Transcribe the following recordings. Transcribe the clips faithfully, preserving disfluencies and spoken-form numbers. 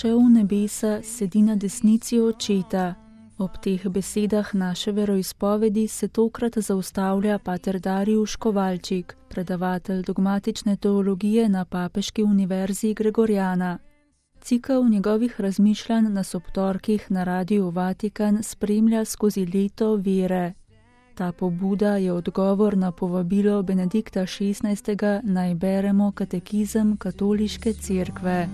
šel v nebesa, sedi na desnici Očeta. Ob teh besedah naše veroizpovedi se tokrat zaustavlja pater Darijuš Kovalčik, predavatelj dogmatične teologije na Papeški univerzi Gregorjana. Cikel njegovih razmišljanj nas ob torkih na Radiu Vatikan spremlja skozi leto vere. Ta pobuda je odgovor na povabilo Benedikta šestnajstega naj beremo katekizem Katoliške cerkve.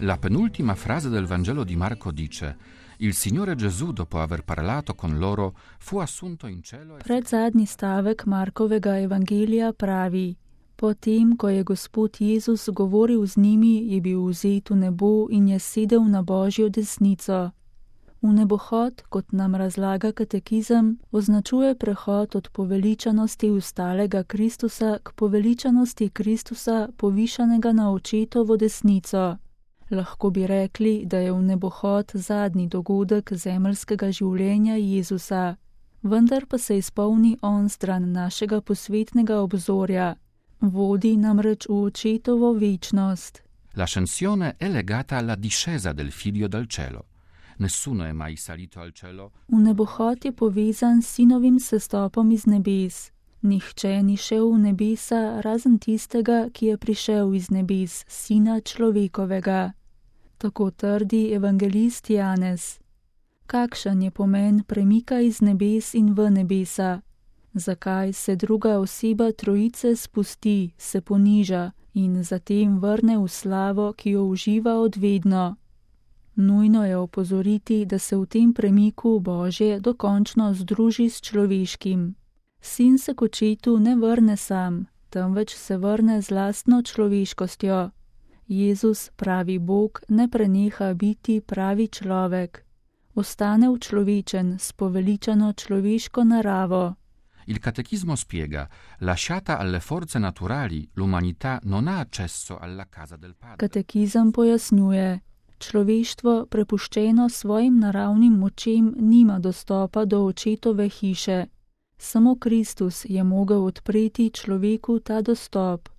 La penultima frase del Vangelo di Marco dice: Il Signore Gesù, dopo aver parlato con loro, fu assunto in cielo. Predzadnji stavek Markovega evangelija pravi: Potem, ko je Gospod Jezus govoril z njimi, je bil vzet v nebo in je sedel na Božjo desnico. V nebohod, kot nam razlaga katekizem, označuje prehod od poveličanosti ustalega Kristusa k poveličanosti Kristusa, povišanega na Očetovo desnico. Lahko bi rekli, da je v nebohod zadnji dogodek zemeljskega življenja Jezusa, vendar pa se izpolni on stran našega posvetnega obzorja. Vodi namreč v Očetovo večnost. L'ascensione è legata alla discesa del Figlio dal cielo. Nessuno è mai salito al cielo. V nebohod je povezan s sinovim sestopom iz nebes. Nihče ni šel v nebesa, razen tistega, ki je prišel iz nebes, sina človekovega. Tako trdi evangelist Janez. Kakšen je pomen premika iz nebes in v nebesa? Zakaj se druga oseba trojice spusti, se poniža in zatem vrne v slavo, ki jo uživa odvedno? Nujno je opozoriti, da se v tem premiku Božje dokončno združi s človeškim. Sin se k Očetu ne vrne sam, temveč se vrne z lastno človeškostjo. Jezus, pravi Bog, ne preneha biti pravi človek. Ostane včlovečen s poveličano človeško naravo. Il catechismo spiega: lasciata alle forze naturali, l'umanità non ha accesso alla casa del Padre. Katekizem pojasnjuje: človeštvo, prepuščeno svojim naravnim močem, nima dostopa do Očetove hiše. Samo Kristus je mogel odpreti človeku ta dostop.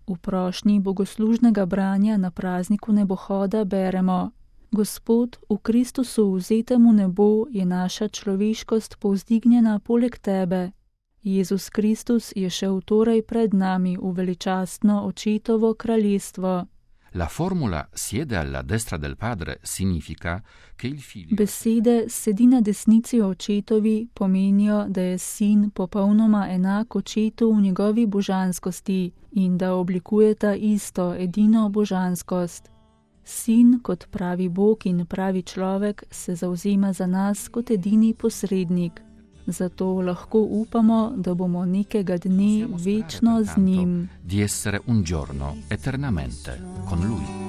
V prošnji bogoslužnega branja na prazniku nebohoda beremo: Gospod, v Kristusu vzetem v nebo je naša človeškost povzdignjena poleg tebe. Jezus Kristus je šel torej pred nami v veličastno Očetovo kraljestvo. La formula siede alla destra del Padre significa che il figlio. Besede sedi na desnici Očetovi pomenijo, da je sin popolnoma enak Očetu v njegovi božanskosti in da oblikujeta isto, edino božanskost. Sin, kot pravi Bog in pravi človek, se zavzema za nas kot edini posrednik. Zato lahko upamo, da bomo nekega dne večno z njim. Di essere un giorno eternamente con lui.